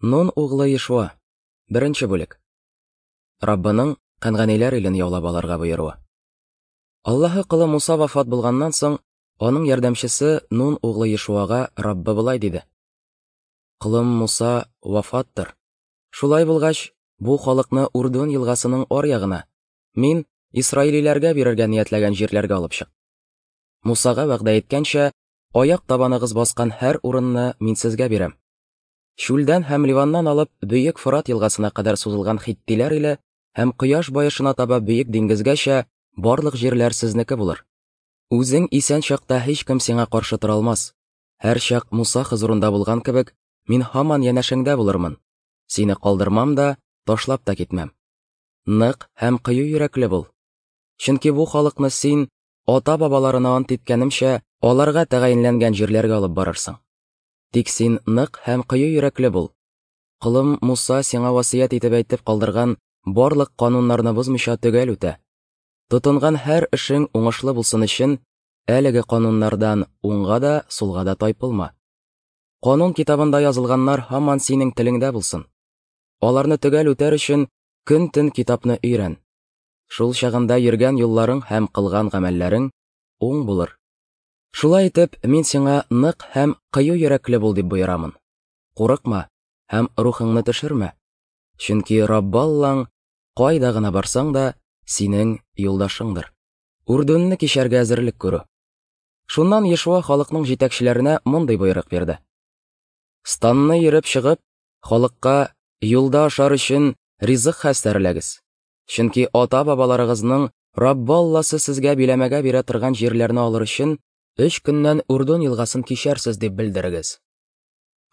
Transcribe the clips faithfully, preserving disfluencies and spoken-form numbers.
Нун углы Ешуа. Беренче бүлек. Раббының Кәнганиләр илен яулап алырга боеруы. Аллаһы колы Муса вафат булганнан соң, аның ярдәмчесе Нун углы Ешуага Раббы болай диде: Колым Муса вафаттыр. Шулай булгач, бу халыкны Урдун елгасының аръягына, мин исраилиләргә бирергә ниятләгән җирләргә алып чык. Мусага вәгъдә иткәнчә, аяк табаныгыз баскан һәр урынны мин сезгә бирәм. Чүлдән һәм Ливаннан алып Бөек Фырат елгасына кадәр сузылган хиттиләр иле һәм кояш баешына таба Бөек диңгезгәчә барлык җирләр сезнеке булыр. Үзең исән чакта һичкем сиңа каршы тора алмас. Һәрчак Муса хозурында булган кебек, мин һаман янәшәңдә булырмын. Сине калдырмам да, ташлап та китмәм. Нык һәм кыю йөрәкле бул. Чөнки бу халыкны син, ата-бабаларына ант иткәнемчә, аларга тәгаенләнгән җирләргә алып барырсың. Тик син нык һәм кыю йөрәкле бул. Колым Муса сиңа васыять итеп әйтеп калдырган барлык кануннарны бозмыйча төгәл үтә. Тотынган һәр эшең уңышлы булсын өчен, әлеге кануннардан уңга да, сулга да тайпылма. Канун китабында язылганнар һаман синең телеңдә булсын. Аларны төгәл үтәр өчен көн-төн китапны өйрән. Шул чагында йөргән юлларың һәм кылган гамәлләрең уң булыр. Шулай итеп, мин сиңа нык һәм кыю йөрәкле бул дип боерамын. Курыкма һәм рухыңны төшермә. Чөнки Раббы Аллаң, кайда гына барсаң да, синең юлдашыңдыр. Урдунны кичәргә әзерлек күрү. Шуннан Ешуа халыкның җитәкчеләренә мондый боерык бирде: Станны йөреп чыгып, халыкка юлда ашар өчен ризык хәстәрләгез. Чөнки ата-бабаларыгызның Раббы Алласы сезгә биләмәгә бирә торган җирләрне алыр өчен өч көннән Урдун елгасын кичәрсез дип белдерегез.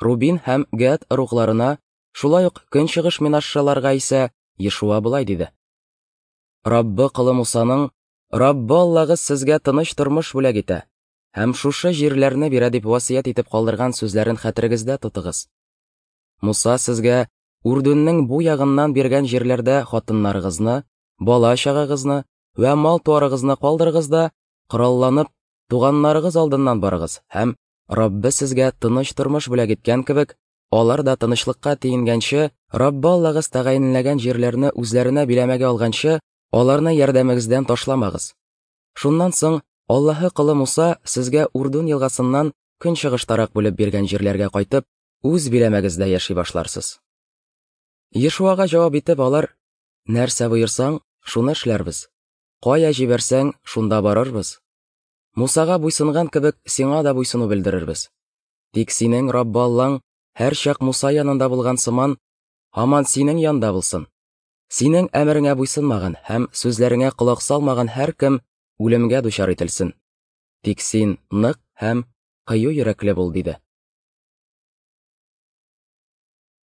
Рубин һәм Гад ыругларына, шулай ук көнчыгыш Менашшаларга исә Ешуа болай диде: Раббы колы Мусаның Раббы Аллагыз сезгә тыныч тормыш бүләк итә һәм шушы җирләрне бирә дип васыять итеп калдырган сүзләрен хәтерегездә тотыгыз. Муса сезгә Урдунның бу ягыннан биргән җирләрдә хатыннарыгызны, бала-чагагызны вә мал-туарыгызны калдырыгыз да, коралланып, туганнарыгыз алдыннан барыгыз һәм Раббы сезгә тыныч тормыш бүләк иткән кебек, алар да тынычлыкка тиенгәнче, Раббы Аллагыз тәгаенләгән җирләрне үзләренә биләмәгә алганчы, аларны ярдәмегездән ташламагыз. Шуннан соң Аллаһы колы Муса сезгә Урдун елгасыннан көнчыгыштарак бүлеп биргән җирләргә кайтып, үз биләмәгездә яши башларсыз. Ешуага җавап итеп алар: Нәрсә боерсаң, шуны эшләрбез. Кая җибәрсәң, шунда барырбыз. Мусага буйсынган кебек, сиңа да буйсыну белдерербез. Тик синең Раббы Аллаң һәрчак Муса янында булган сыман, һаман синең янда булсын. Синең әмереңә буйсынмаган һәм сүзләреңә колак салмаган һәркем үлемгә дучар ителсен. Тик син нык һәм кыю йөрәкле бул, диде.